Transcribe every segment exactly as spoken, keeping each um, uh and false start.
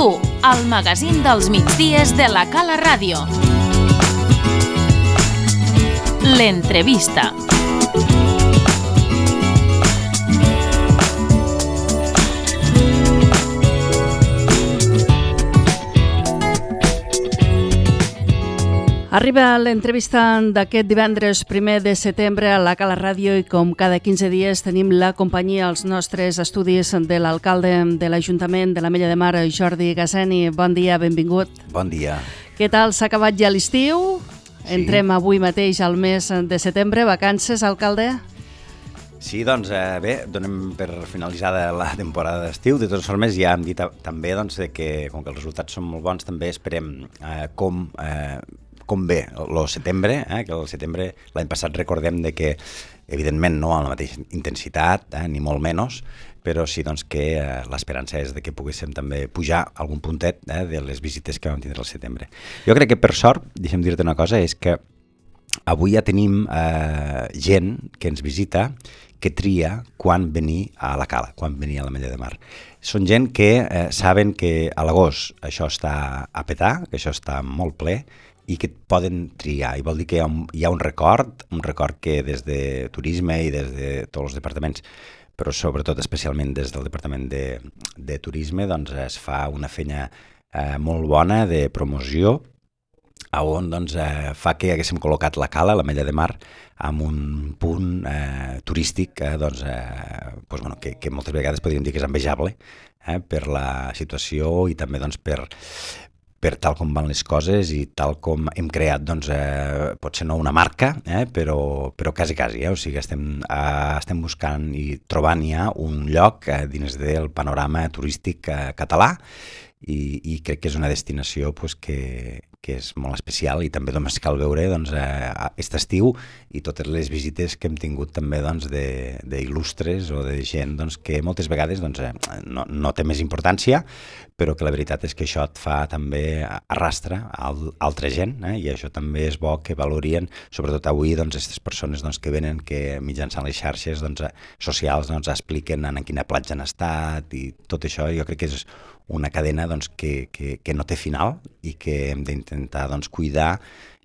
Tu, el magazín dels migdies de la Cala Ràdio. L'entrevista. Arriba l'entrevista d'aquest divendres primer de setembre a la Cala Ràdio i com cada quinze dies tenim la companyia als nostres estudis de l'alcalde de l'Ajuntament de l'Ametlla de Mar, Jordi Gasseni. Bon dia, benvingut. Bon dia. Què tal? S'ha acabat ja l'estiu? Sí. Entrem avui mateix al mes de setembre. Vacances, alcalde? Sí, doncs eh, bé, donem per finalitzada la temporada d'estiu. De totes formes, ja hem dit també doncs, que com que els resultats són molt bons, també esperem eh, com... Eh, com ve el setembre, eh? que el setembre l'any passat recordem de que, evidentment, no amb la mateixa intensitat, eh? ni molt menys, però sí doncs, que eh, l'esperança és de que poguéssim també pujar algun puntet eh? de les visites que vam tindre al setembre. Jo crec que, per sort, deixa'm dir-te una cosa, és que avui ja tenim eh, gent que ens visita que tria quan venir a la Cala, quan venir a l'Ametlla de Mar. Són gent que eh, saben que a l'agost això està a petar, que això està molt ple, i que poden triar, i vol dir que hi ha un, hi ha un record, un record que des de turisme i des de tots els departaments, però sobretot especialment des del departament de, de turisme, doncs es fa una feina eh, molt bona de promoció, on doncs, eh, fa que haguéssim col·locat la Cala, l'Ametlla de Mar, amb un punt eh, turístic eh, doncs, eh, doncs, bueno, que, que moltes vegades podríem dir que és envejable eh, per la situació i també doncs, per... per tal com van les coses i tal com hem creat, doncs, eh, potser no una marca, eh, però, però quasi, quasi, eh? O sigui, estem, eh, estem buscant i trobant ja un lloc eh, dins del panorama turístic eh, català i, i crec que és una destinació pues, que, que és molt especial i també només cal veure doncs, eh, aquest estiu i totes les visites que hem tingut també doncs, d'il·lustres o de gent doncs, que moltes vegades doncs, eh, no, no té més importància, però que la veritat és que això et fa també arrastre a altra gent eh? I això també és bo que valorien, sobretot avui, doncs, aquestes persones doncs, que venen, que mitjançant les xarxes doncs, socials doncs, expliquen en quina platja han estat i tot això jo crec que és una cadena doncs, que, que, que no té final i que hem d'intentar doncs, cuidar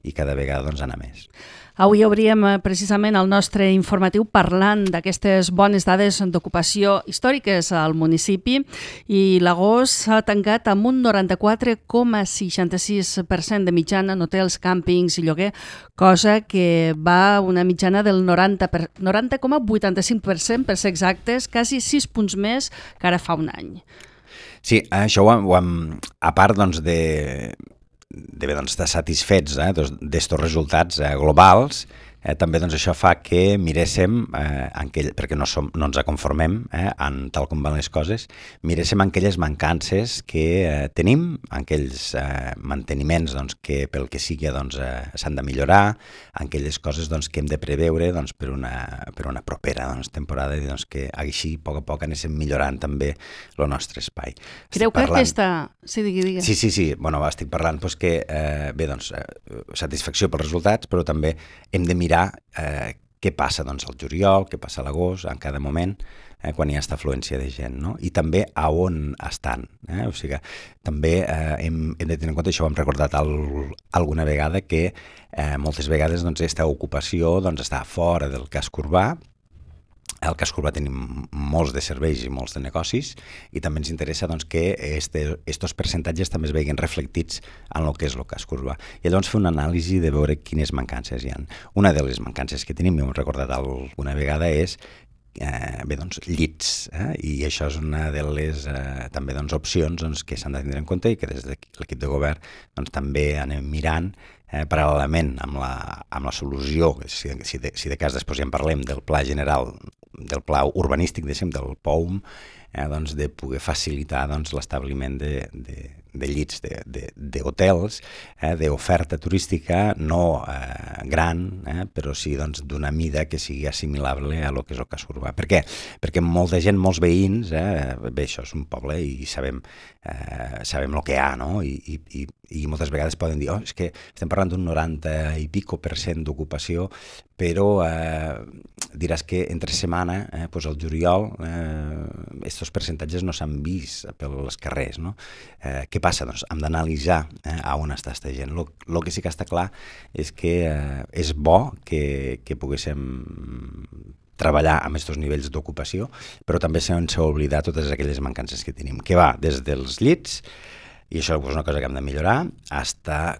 i cada vegada doncs, anar més. Avui obríem precisament el nostre informatiu parlant d'aquestes bones dades d'ocupació històriques al municipi i l'agost s'ha tancat amb un noranta-quatre coma seixanta-sis per cent de mitjana en hotels, càmpings i lloguer, cosa que va una mitjana del noranta coma vuitanta-cinc per cent per ser exactes, quasi sis punts més que ara fa un any. Sí, això ho hem, ho hem a part doncs, de... de doncs, estar satisfets eh, d'estos resultats eh, globals, eh, també doncs, això fa que miréssim, eh, aquell, perquè no, som, no ens conformem eh, en tal com van les coses, miréssim aquelles mancances que eh, tenim, aquells eh, manteniments doncs, que pel que sigui doncs, eh, s'han de millorar, aquelles coses doncs, que hem de preveure doncs, per, una, per una propera doncs, temporada i doncs, que així a poc a poc anéssim millorant també el nostre espai. Creu que parlant... aquesta... Sí, digui, digui. Sí, sí, sí. Bueno, estic parlant doncs, que eh, bé, doncs, eh, satisfacció pels resultats, però també hem de mirar eh, què passa doncs, al juliol, què passa a l'agost, en cada moment, eh, quan hi ha aquesta afluència de gent, no? I també a on estan. Eh? O sigui, també eh, hem, hem de tenir en compte, això ho hem recordat al, alguna vegada, que eh, moltes vegades doncs, aquesta ocupació doncs, està fora del casc urbà. Al casc urbà tenim molts de serveis i molts de negocis i també ens interessa doncs, que aquests percentatges també es vegin reflectits en el que és el casc urbà. I llavors fer una anàlisi de veure quines mancances hi ha. Una de les mancances que tenim, i ho hem recordat alguna vegada, és eh, bé, doncs, llits. Eh? I això és una de les eh, també, doncs, opcions doncs, que s'han de tenir en compte i que des de l'equip de govern doncs, també anem mirant eh, paral·lelament amb la, amb la solució, si, si, de, si de cas després ja en parlem del pla general, del pla urbanístic, deixem, del P O U M, eh, doncs, de poder facilitar doncs, l'establiment de, de, de llits d'hotels, eh, d'oferta turística no eh, gran, eh, però sí doncs, d'una mida que sigui assimilable a lo que és el casc urbà. Per què? Perquè molta gent, molts veïns, eh, bé, això és un poble i sabem, eh, sabem el que hi ha, no? I, i, i moltes vegades poden dir, oh, és que estem parlant d'un noranta i pico per cent d'ocupació, però eh, diràs que entre setmana, eh, doncs el juliol, aquests eh, percentatges no s'han vist pels carrers, no? Eh, què passa? Doncs hem d'analitzar eh, a on està aquesta gent. El que sí que està clar és que eh, és bo que, que poguéssim treballar amb aquests nivells d'ocupació, però també sense oblidar totes aquelles mancances que tenim, que va des dels llits, i això és una cosa que hem de millorar, fins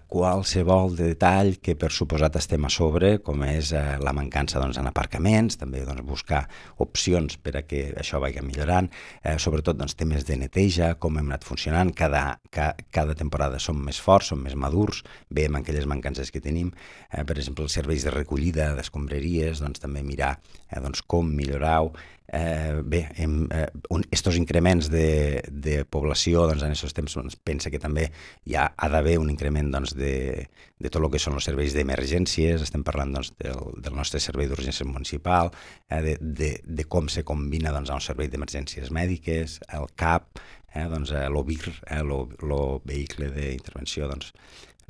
qualsevol detall que per suposat estem a sobre, com és eh, la mancança doncs, en aparcaments, també doncs, buscar opcions per a que això vagi millorant, eh, sobretot doncs, temes de neteja, com hem anat funcionant, cada, ca, cada temporada som més forts, som més madurs, veiem aquelles mancances que tenim, eh, per exemple, els serveis de recollida d'escombraries, doncs, també mirar eh, doncs, com millorar-ho. Eh, bé, hem, eh, un, estos increments de, de població doncs, en aquests temps doncs, pensa que també hi ha, ha d'haver un increment doncs, de, de tot el que són els serveis d'emergències, estem parlant doncs, del, del nostre servei d'urgència municipal, eh, de, de, de com se combina doncs, el servei d'emergències mèdiques, el C A P, eh, doncs, l'O B I R, eh, el vehicle d'intervenció doncs,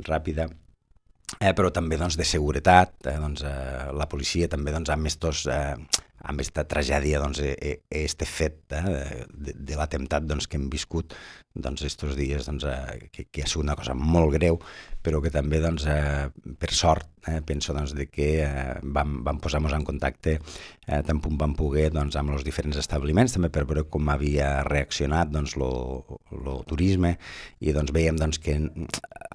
ràpida, eh, però també doncs, de seguretat, eh, doncs, eh, la policia també doncs, amb estos... Eh, amb aquesta tragèdia, doncs, este fet eh, de, de l'atemptat doncs, que hem viscut doncs, estos dies, doncs, eh, que, que ha sigut una cosa molt greu, però que també, doncs, eh, per sort, eh, penso doncs, de que eh, vam, vam posar-nos en contacte eh, tant com vam poder doncs, amb els diferents establiments, també per veure com havia reaccionat doncs, lo, lo turisme, i doncs, veiem doncs, que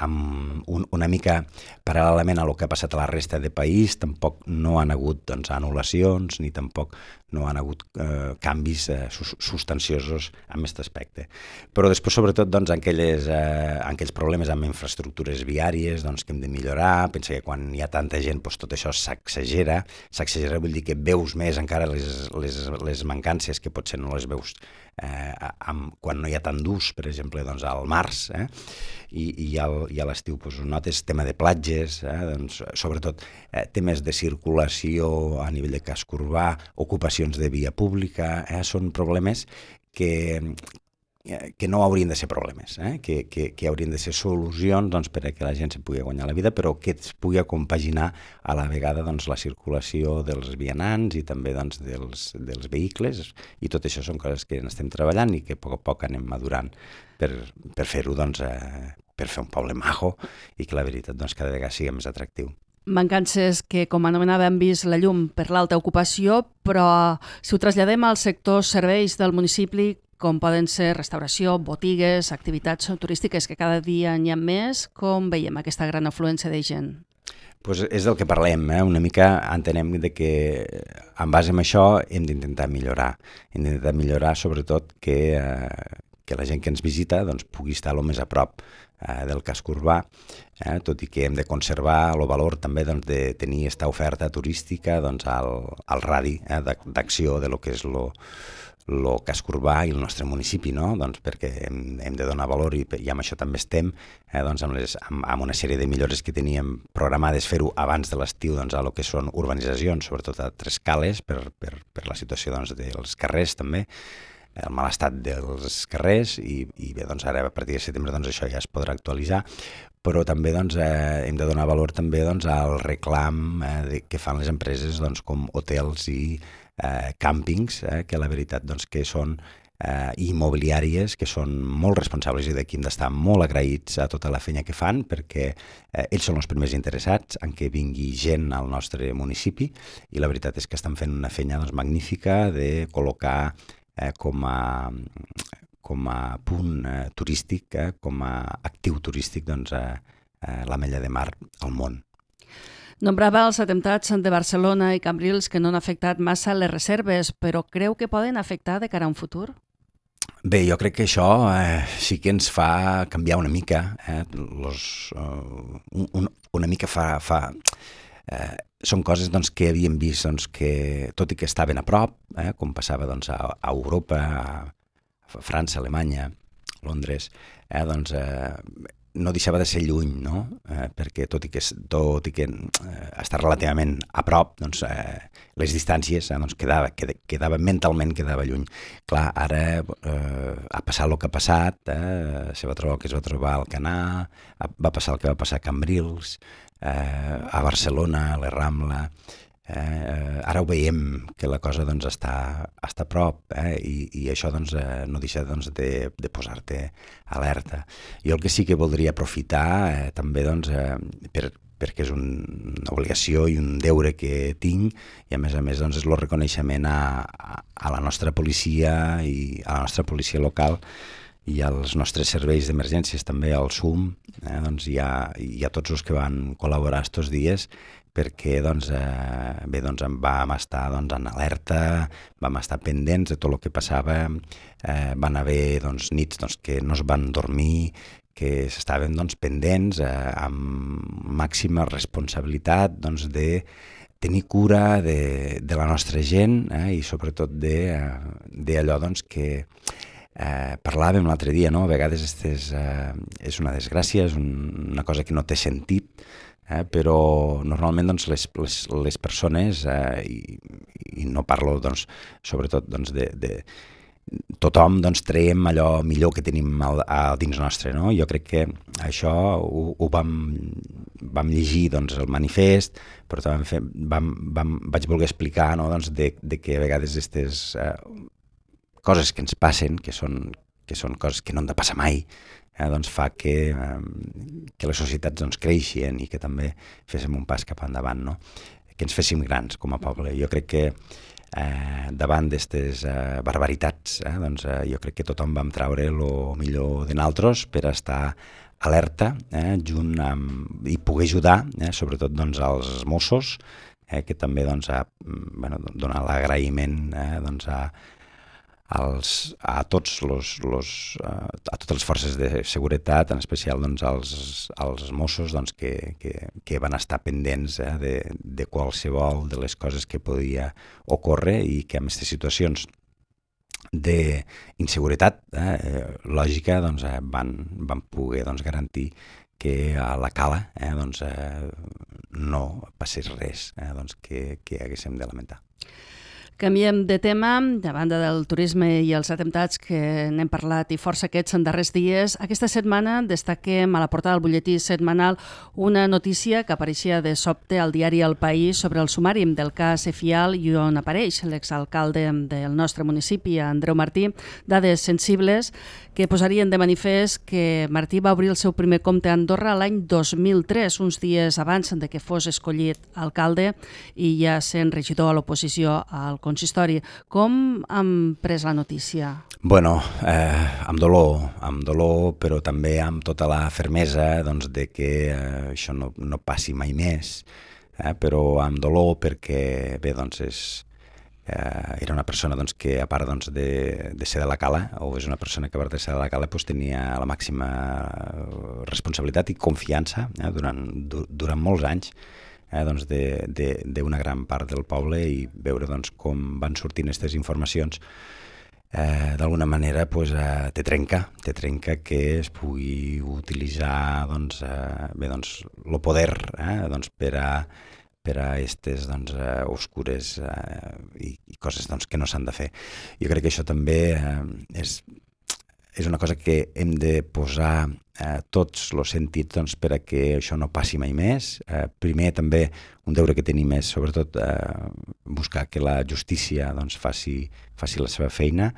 amb un, una mica paral·lelament a lo que ha passat a la resta de país, tampoc no han hagut doncs, anul·lacions, ni tampoc no han hagut eh, canvis eh, substanciosos en aquest aspecte. Però després, sobretot, doncs, en, aquelles, eh, en aquells problemes amb infraestructures viàries doncs, que hem de millorar, pensa que quan hi ha tanta gent doncs, tot això s'exagera, s'exagera vol dir que veus més encara les, les, les mancances que potser no les veus eh, amb, quan no hi ha tant d'ús, per exemple, doncs, al març, eh? i, i, al, i a l'estiu doncs, notes tema de platges, eh? doncs, sobretot eh, temes de circulació a nivell de casc urbà, ocupacions de via pública, eh? Són problemes que, que no haurien de ser problemes, eh? que, que, que haurien de ser solucions doncs, per a que la gent se pugui guanyar la vida, però que es pugui compaginar a la vegada doncs, la circulació dels vianants i també doncs, dels, dels vehicles, i tot això són coses que estem treballant i que a poc a poc anem madurant per, per fer-ho, doncs, eh, per fer un poble majo i que la veritat doncs, cada vegada sigui més atractiu. Mancances que, com anomenava, hem vist la llum per l'alta ocupació, però si ho traslladem als sectors serveis del municipi, com poden ser restauració, botigues, activitats turístiques, que cada dia n'hi ha més, com veiem aquesta gran afluència de gent? Pues és del que parlem, eh? Una mica entenem de que en base a això hem d'intentar millorar. Hem d'intentar millorar sobretot que, eh, que la gent que ens visita doncs, pugui estar el més a prop eh, del casc urbà, eh? Tot i que hem de conservar el valor també doncs, de tenir aquesta oferta turística doncs, al, al radi eh, d'acció de lo que és lo, el casc urbà i el nostre municipi, no? Doncs perquè hem, hem de donar valor i, i amb això també estem, eh, doncs amb, les, amb, amb una sèrie de millores que teníem programades fer-ho abans de l'estiu doncs, a lo que són urbanitzacions, sobretot a Tres Cales, per, per, per la situació doncs, dels carrers també, el mal estat dels carrers, i, i bé, doncs ara a partir de setembre doncs, això ja es podrà actualitzar, però també doncs, eh, hem de donar valor també doncs, al reclam eh, de, que fan les empreses doncs, com hotels i eh, càmpings, eh, que la veritat doncs, que són eh, immobiliàries, que són molt responsables i d'aquí hem d'estar molt agraïts a tota la feina que fan, perquè eh, ells són els primers interessats en que vingui gent al nostre municipi, i la veritat és que estan fent una feina doncs, magnífica de col·locar eh, com a... com a punt eh, turístic, eh, com a actiu turístic, doncs, eh, eh, l'Ametlla de Mar al món. Nombrava els atemptats de Barcelona i Cambrils que no han afectat massa les reserves, però creu que poden afectar de cara a un futur? Bé, jo crec que això eh, sí que ens fa canviar una mica, eh, los, uh, un, una mica fa... fa eh, són coses doncs, que havíem vist doncs, que, tot i que estaven a prop, eh, com passava doncs, a, a Europa, a França, Alemanya, Londres, eh, doncs, eh, no deixava de ser lluny, no? Eh, perquè tot i que, tot i que eh, està relativament a prop, doncs, eh, les distàncies eh, doncs quedava, quedava, mentalment quedava lluny. Clar, ara eh, ha passat el que ha passat, eh, se va trobar el que es va trobar al Canà, va passar el que va passar a Cambrils, eh, a Barcelona, a la Rambla, Eh, ara ho veiem, que la cosa doncs, està, està a prop, eh? I, i això doncs, eh, no deixa doncs, de, de posar-te alerta. Jo el que sí que voldria aprofitar eh, també doncs, eh, per, perquè és un, una obligació i un deure que tinc, i a més a més doncs, és el reconeixement a, a, a la nostra policia i a la nostra policia local i als nostres serveis d'emergències, també al S U M, eh, doncs, i, a, i a tots els que van col·laborar estos dies, perquè doncs, eh, bé, doncs, vam estar doncs, en alerta, vam estar pendents de tot el que passava, eh, van haver doncs, nits doncs, que no es van dormir, que s'estaven doncs, pendents eh, amb màxima responsabilitat doncs, de tenir cura de, de la nostra gent eh, i sobretot d'allò doncs, que eh, parlàvem l'altre dia, no? A vegades estes, eh, és una desgràcia, és un, una cosa que no té sentit, Eh, però normalment doncs, les, les, les persones, eh, i, i no parlo doncs, sobretot doncs, de, de tothom doncs, traiem allò millor que tenim al, a dins nostre. No? Jo crec que això ho, ho vam, vam llegir doncs, el manifest, però també fer, vam, vam, vaig voler explicar no? doncs, de, de que a vegades aquestes eh, coses que ens passen, que són, que són coses que no han de passar mai, Eh, doncs fa que, eh, que les societats doncs, creixien i que també féssim un pas cap endavant, no? Que ens féssim grans com a poble. Jo crec que eh, davant d'aquestes eh, barbaritats, eh, doncs, eh, jo crec que tothom vam traure el millor de nosaltres per estar alerta eh, junt amb, i poder ajudar, eh, sobretot doncs, als Mossos, eh, que també doncs, ha, bueno, donar l'agraïment eh, doncs, a als, a, tots los, los, a totes les forces de seguretat, en especial doncs, als, als Mossos doncs, que, que, que van estar pendents eh, de, de qualsevol de les coses que podia ocórrer i que en aquestes situacions d'inseguretat eh, lògica doncs, eh, van, van poder doncs, garantir que a la cala eh, doncs, eh, no passés res eh, doncs, que, que haguéssim de lamentar. Canviem de tema, de banda del turisme i els atemptats que n'hem parlat i força aquests en darrers dies. Aquesta setmana destaquem a la portada del butlletí setmanal una notícia que apareixia de sobte al diari El País sobre el sumari del cas Efial i on apareix l'exalcalde del nostre municipi, Andreu Martí, dades sensibles que posarien de manifest que Martí va obrir el seu primer compte a Andorra l'any dos mil tres, uns dies abans de que fos escollit alcalde i ja sent regidor a l'oposició al consistori. Com han pres la notícia? Bueno, eh, amb dolor, amb dolor, però també amb tota la fermesa doncs, de que eh, això no, no passi mai més, eh, però amb dolor perquè, bé, doncs és, eh, era una persona doncs, que a part doncs, de, de ser de la Cala, o és una persona que a part de ser de la Cala doncs, tenia la màxima responsabilitat i confiança eh, durant, du, durant molts anys, Eh, doncs d'una gran part del poble i veure doncs, com van sortint aquestes informacions eh, d'alguna manera pues, eh, te trenca, te trenca que es pugui utilitzar doncs, eh, bé, doncs, el poder eh, doncs, per a per a aquestes doncs, eh, oscures eh, i, i coses doncs, que no s'han de fer. Jo crec que això també eh, és, és una cosa que hem de posar eh, tots els sentits doncs, per a que això no passi mai més. Eh, primer també un deure que tenim és sobretot eh, buscar que la justícia doncs, faci, faci la seva feina.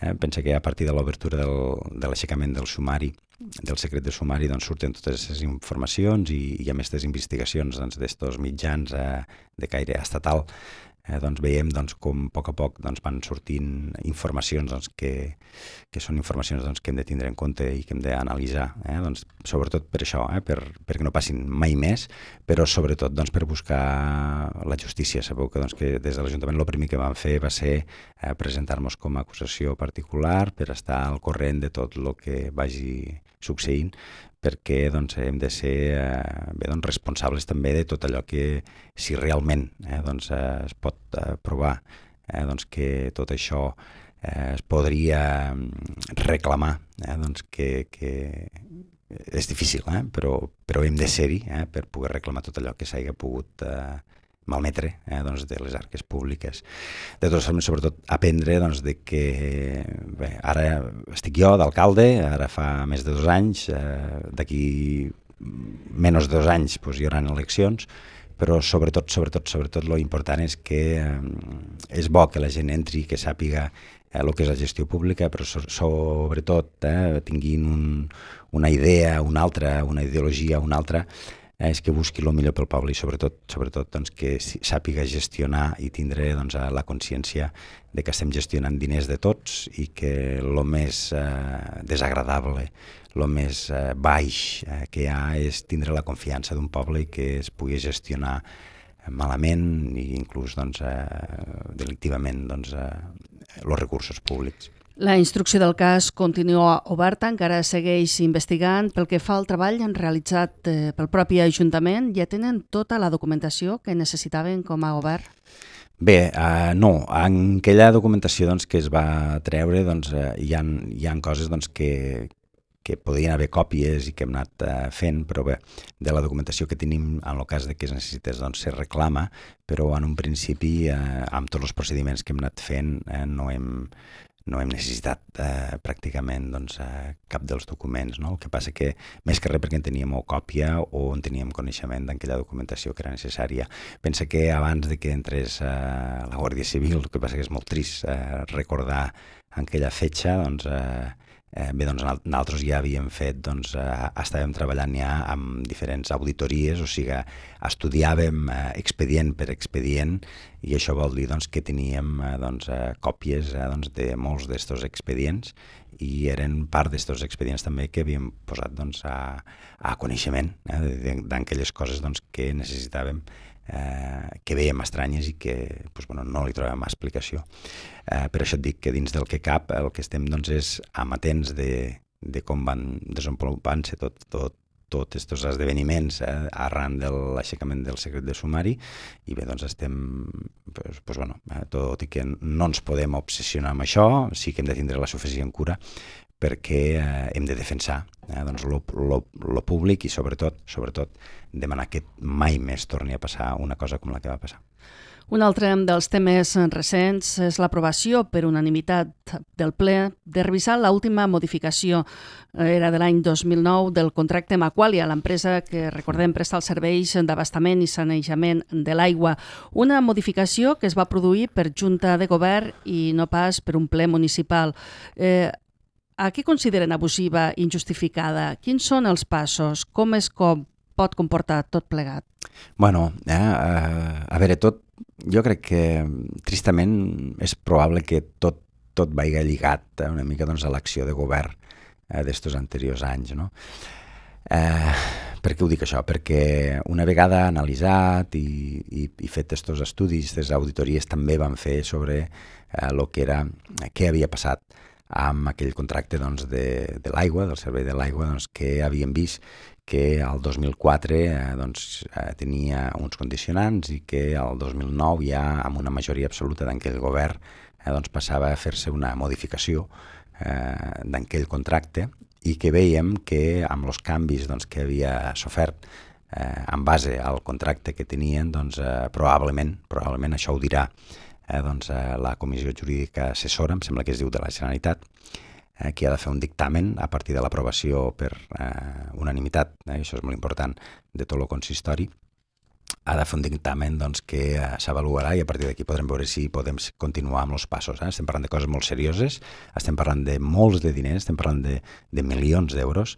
Eh, pensa que a partir de l'obertura del, de l'aixecament del sumari, del secret de sumari, doncs, surten totes aquestes informacions i, i amb aquestes investigacions doncs, d'estos mitjans eh, de caire estatal, eh, doncs, veiem doncs, com a poc a poc doncs, van sortint informacions doncs, que, que són informacions doncs, que hem de tindre en compte i que hem d'analitzar, eh, doncs, sobretot per això, eh, per, perquè no passin mai més, però sobretot doncs, per buscar la justícia. Sabeu que, doncs, que des de l'Ajuntament el primer que vam fer va ser eh, presentar-nos com a acusació particular per estar al corrent de tot el que vagi succeint, perquè doncs, hem de ser eh, bé, doncs, responsables també de tot allò que, si realment eh, doncs, eh, es pot eh, provar eh, doncs, que tot això eh, es podria reclamar, eh, doncs, que, que és difícil, eh, però, però hem de ser-hi eh, per poder reclamar tot allò que s'hagi pogut eh, malmetre eh, doncs, de les arques públiques. De totes formes, sobretot, aprendre doncs, de que bé, ara estic jo d'alcalde, ara fa més de dos anys, eh, d'aquí menys de dos anys doncs, hi haurà eleccions, però sobretot, sobretot, sobretot, lo important és que eh, és bo que la gent entri, que sàpiga eh, el que és la gestió pública, però so, sobretot eh, tinguin un, una idea, una altra, una ideologia, una altra, eh, és que busqui el millor pel poble i sobretot, sobretot doncs, que sàpiga gestionar i tindre doncs, la consciència de que estem gestionant diners de tots i que el més eh, desagradable, el més eh, baix eh, que hi ha és tindre la confiança d'un poble i que es pugui gestionar malament i inclús doncs, eh, delictivament doncs, eh, els recursos públics. La instrucció del cas continua oberta, encara segueix investigant. Pel que fa al treball realitzat eh, pel propi Ajuntament, ja tenen tota la documentació que necessitaven com a govern? Bé, uh, no. En aquella documentació doncs, que es va treure doncs, uh, hi, ha, hi ha coses doncs, que, que podrien haver còpies i que hem anat uh, fent, però bé, de la documentació que tenim, en el cas de que es necessités, doncs, se reclama, però en un principi, uh, amb tots els procediments que hem anat fent, uh, no hem... no hem necessitat eh, pràcticament doncs, eh, cap dels documents. No? El que passa que, més que res perquè en teníem o còpia o en teníem coneixement d'aquella documentació que era necessària. Pensa que abans de que entrés eh, la Guàrdia Civil, el que passa que és molt trist eh, recordar aquella fetge, doncs, eh, eh, bé, doncs nosaltres ja havíem fet, doncs, eh, estàvem treballant ja amb diferents auditories, o sigui, estudiàvem eh, expedient per expedient i això vol dir doncs, que teníem eh, doncs, eh, còpies eh, doncs, de molts d'estos expedients i eren part d'estos expedients també que havíem posat doncs, a, a coneixement eh, d'aquelles coses doncs, que necessitàvem, eh, que veiem estranyes i que doncs, bueno, no li trobem explicació. Eh, per això et dic que dins del que cap el que estem doncs, és amatents de, de com van desenvolupant-se tot, tot tots aquests esdeveniments eh, arran de l'aixecament del secret de sumari i bé, doncs estem, pues, pues, bueno, eh, tot i que no ens podem obsessionar amb això, sí que hem de tindre la suficient cura perquè eh, hem de defensar eh, doncs, lo, lo, lo públic i sobretot, sobretot demanar que mai més torni a passar una cosa com la que va passar. Un altre dels temes recents és l'aprovació per unanimitat del ple de revisar l'última modificació, era de l'any dos mil nou, del contracte amb Aqualia, l'empresa que, recordem, presta els serveis d'abastament i sanejament de l'aigua. Una modificació que es va produir per Junta de Govern i no pas per un ple municipal. Eh, a què consideren abusiva i injustificada? Quins són els passos? Com es com pot comportar tot plegat? Bueno, eh, eh, a veure, tot jo crec que, tristament, és probable que tot, tot vagi lligat eh, una mica doncs, a l'acció de govern eh, d'estos anteriors anys. No? Eh, per què ho dic això? Perquè una vegada analitzat i, i, i fet estos estudis, aquestes auditories també van fer sobre eh, lo que era, què havia passat amb aquell contracte doncs, de, de l'aigua, del servei de l'aigua, doncs, que havíem vist que el dos mil quatre eh, doncs, eh, tenia uns condicionants i que el dos mil nou ja amb una majoria absoluta d'aquell govern eh, doncs, passava a fer-se una modificació eh, d'aquell contracte i que veiem que amb els canvis doncs, que havia sofert eh, en base al contracte que tenien, doncs, eh, probablement, probablement això ho dirà eh, doncs, eh, la Comissió Jurídica Assessora, em sembla que es diu de la Generalitat, eh, que ha de fer un dictamen a partir de l'aprovació per eh, unanimitat, eh, això és molt important, de tot el consistori, ha de fer un dictamen doncs, que eh, s'avaluarà i a partir d'aquí podrem veure si podem continuar amb els passos. Eh? Estem parlant de coses molt serioses, estem parlant de molts de diners, estem parlant de, de milions d'euros,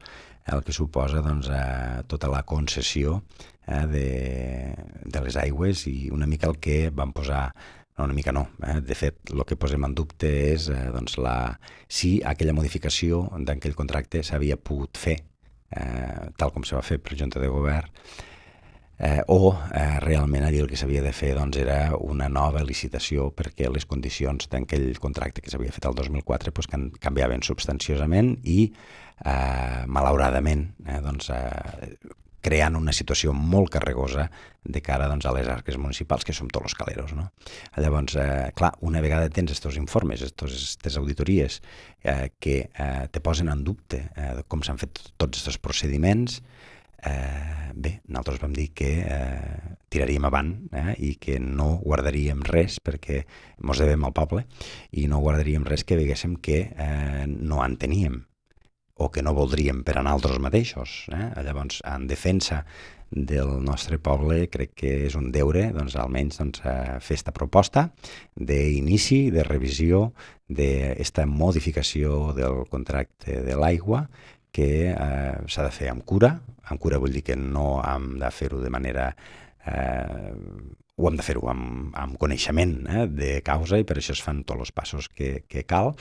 el que suposa doncs, eh, tota la concessió eh, de, de les aigües i una mica el que van posar. No, una mica no. Eh? De fet, el que posem en dubte és eh, doncs la, si aquella modificació d'aquell contracte s'havia pogut fer, eh, tal com se va fer per Junta de Govern, eh, o eh, realment allà el que s'havia de fer doncs, era una nova licitació perquè les condicions d'aquell contracte que s'havia fet el dos mil quatre doncs, can, canviaven substanciosament i, eh, malauradament, eh, doncs, eh, creant una situació molt carregosa de cara doncs, a les arques municipals, que som tots els caleros. No? Llavors, eh, clar, una vegada tens aquests informes, aquestes auditories eh, que eh, te posen en dubte eh, com s'han fet tots aquests procediments, eh, bé, nosaltres vam dir que eh, tiraríem avant eh, i que no guardaríem res perquè mos devem al poble i no guardaríem res que veiéssim que eh, no en teníem o que no voldríem per a nosaltres mateixos. Eh? Llavors, en defensa del nostre poble, crec que és un deure, doncs, almenys doncs, fer aquesta proposta d'inici, de revisió d'aquesta modificació del contracte de l'aigua, que eh, s'ha de fer amb cura. Amb cura vull dir que no hem de fer-ho de manera... Eh, ho hem de fer-ho amb, amb coneixement eh, de causa, i per això es fan tots els passos que, que cal.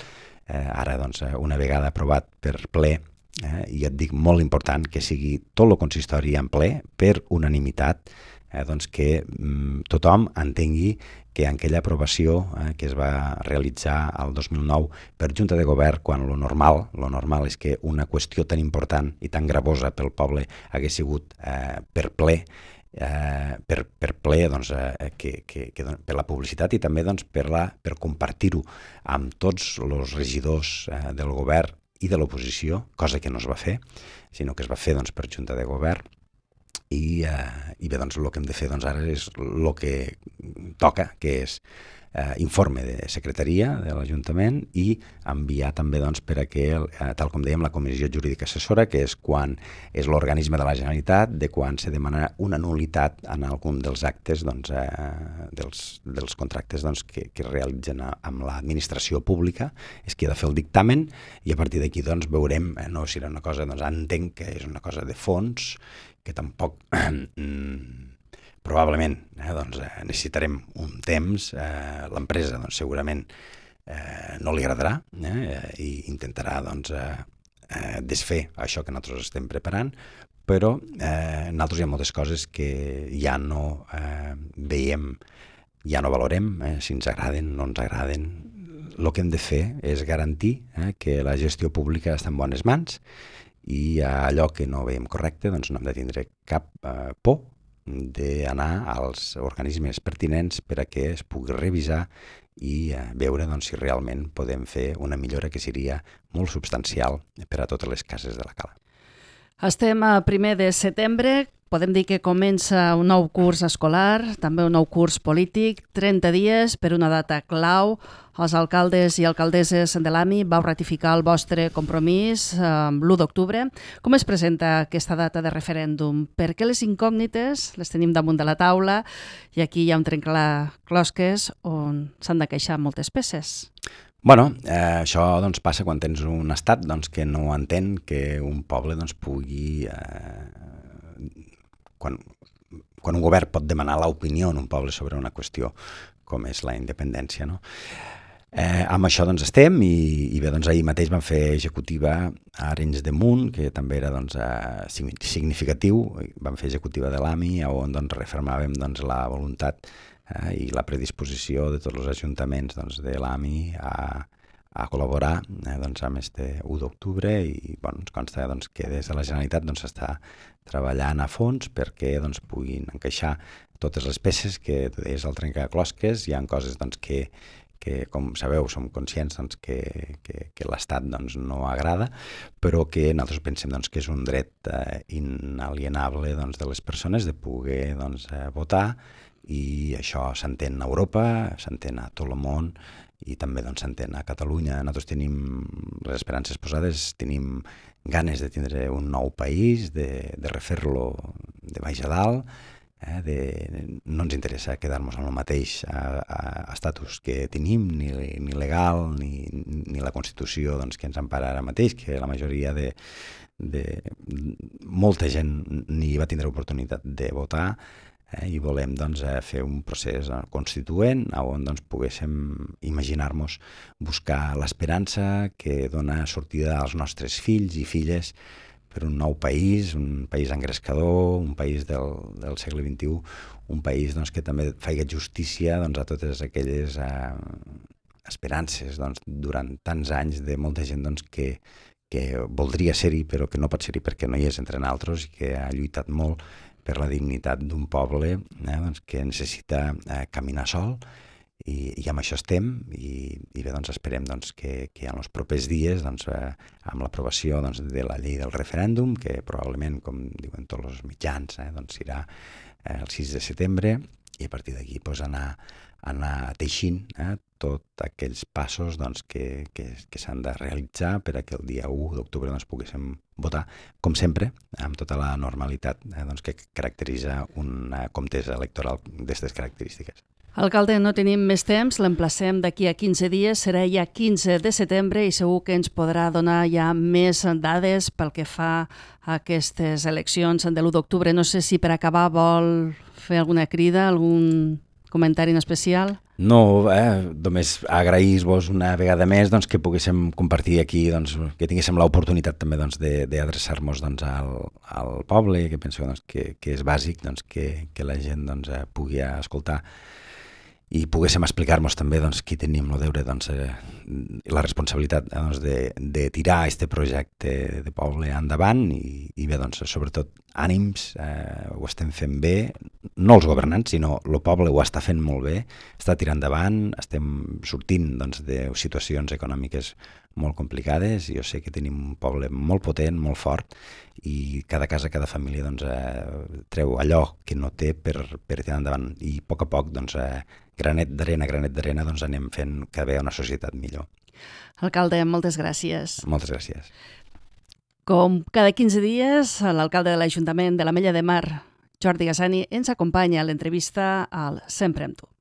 Eh, ara, doncs, una vegada aprovat per ple, eh, i et dic molt important que sigui tot el consistori en ple per unanimitat, eh, doncs que mm, tothom entengui que en aquella aprovació eh, que es va realitzar el dos mil nou per Junta de Govern, quan lo normal, lo normal és que una qüestió tan important i tan gravosa pel poble hagués sigut eh, per ple, eh, per, per ple doncs, eh, que, que, que, per la publicitat i també doncs, per, la, per compartir-ho amb tots els regidors eh, del govern i de l'oposició, cosa que no es va fer, sinó que es va fer doncs, per Junta de Govern. I, eh, i bé, doncs, el que hem de fer doncs, ara és el que toca, que és eh, informe de secretaria de l'Ajuntament i enviar també doncs, per a que, eh, tal com dèiem, la Comissió Jurídica Assessora, que és quan és l'organisme de la Generalitat, de quan se demana una nul·litat en algun dels actes, doncs, eh, dels, dels contractes doncs, que, que es realitzen a, amb l'administració pública, és qui ha de fer el dictamen, i a partir d'aquí doncs, veurem, eh, no serà una cosa, doncs, entenc que és una cosa de fons, que tampoc mm, probablement eh, doncs, eh, necessitarem un temps. Eh, l'empresa doncs, segurament eh, no li agradarà eh, i intentarà doncs, eh, eh, desfer això que nosaltres estem preparant, però eh, nosaltres hi ha moltes coses que ja no eh, veiem, ja no valorem, eh, si ens agraden, no ens agraden. El que hem de fer és garantir eh, que la gestió pública està en bones mans, i allò que no veiem correcte doncs no hem de tindre cap eh, por d'anar als organismes pertinents per a que es pugui revisar i eh, veure doncs, si realment podem fer una millora que seria molt substancial per a totes les cases de la cala. Estem a primer de setembre, podem dir que comença un nou curs escolar, també un nou curs polític, trenta dies per una data clau. Els alcaldes i alcaldesses de l'A M I vau ratificar el vostre compromís eh, l'u d'octubre. Com es presenta aquesta data de referèndum? Per què les incògnites les tenim damunt de la taula i aquí hi ha un trencaclosques on s'han de queixar moltes peces? Bueno, eh, això doncs, passa quan tens un estat doncs, que no entén que un poble doncs, pugui... Eh, quan, quan un govern pot demanar l'opinió d'un poble sobre una qüestió com és la independència, no? Eh, amb això doncs, estem i, i bé, doncs, ahir mateix vam fer executiva a Arenys de Munt, que també era doncs, eh, significatiu. Vam fer executiva de l'A M I, on doncs, refermàvem doncs, la voluntat eh, i la predisposició de tots els ajuntaments doncs, de l'A M I a, a col·laborar eh, doncs, amb este u d'octubre, i bueno, ens consta doncs, que des de la Generalitat doncs, està treballant a fons perquè doncs, puguin encaixar totes les peces que és el trencaclosques. Hi ha coses doncs, que que, com sabeu, som conscients doncs, que, que, que l'Estat doncs, no agrada, però que nosaltres pensem doncs, que és un dret eh, inalienable doncs, de les persones de poder doncs, eh, votar, i això s'entén a Europa, s'entén a tot el món, i també doncs, s'entén a Catalunya. Nosaltres tenim les esperances posades, tenim ganes de tindre un nou país, de, de refer-lo de baix a dalt. Eh, de, no ens interessa quedar-nos amb el mateix a, a, a estatus que tenim, ni, ni legal, ni, ni la Constitució doncs, que ens empara ara mateix, que la majoria de, de molta gent ni va tindre oportunitat de votar, eh, i volem doncs, fer un procés constituent on doncs, poguéssim imaginar-nos buscar l'esperança que dona sortida als nostres fills i filles per un nou país, un país engrescador, un país del, del segle vint-i-u, un país doncs, que també faci justícia doncs, a totes aquelles eh, esperances doncs, durant tants anys de molta gent doncs, que, que voldria ser-hi però que no pot ser-hi perquè no hi és entre nosaltres, i que ha lluitat molt per la dignitat d'un poble eh, doncs, que necessita eh, caminar sol. I, i amb això estem, i, i bé, doncs esperem doncs, que, que en els propers dies, doncs, eh, amb l'aprovació doncs, de la llei del referèndum, que probablement, com diuen tots els mitjans, eh, doncs, serà eh, el sis de setembre, i a partir d'aquí pues, anar, anar teixint eh, tots aquells passos doncs, que, que, que s'han de realitzar per a que el dia u d'octubre doncs, poguéssim votar, com sempre, amb tota la normalitat eh, doncs, que caracteritza una contesa electoral d'aquestes característiques. Alcalde, no tenim més temps, l'emplacem d'aquí a quinze dies, serà ja quinze de setembre i segur que ens podrà donar ja més dades pel que fa a aquestes eleccions de l'u d'octubre. No sé si per acabar vol fer alguna crida, algun comentari en especial? No, eh, només agrair-vos una vegada més doncs, que poguéssim compartir aquí, doncs, que tinguéssim l'oportunitat també doncs, d'adreçar-nos doncs, al, al poble, que penso doncs, que, que és bàsic doncs, que, que la gent doncs, pugui escoltar i poguéssim explicar-nos també doncs, qui tenim el deure, doncs, eh, la responsabilitat eh, doncs, de, de tirar aquest projecte de poble endavant i, i bé, doncs, sobretot ànims, eh, ho estem fent bé, no els governants, sinó el poble ho està fent molt bé, està tirant endavant, estem sortint doncs, de situacions econòmiques molt complicades i jo sé que tenim un poble molt potent, molt fort i cada casa, cada família doncs, eh, treu allò que no té per, per tirar endavant i a poc a poc doncs, eh, granet d'arena, granet d'arena, doncs anem fent cada vegada una societat millor. Alcalde, moltes gràcies. Moltes gràcies. Com cada quinze dies, l'alcalde de l'Ajuntament de l'Ametlla de Mar, Jordi Gassani, ens acompanya a l'entrevista al Sempre amb tu.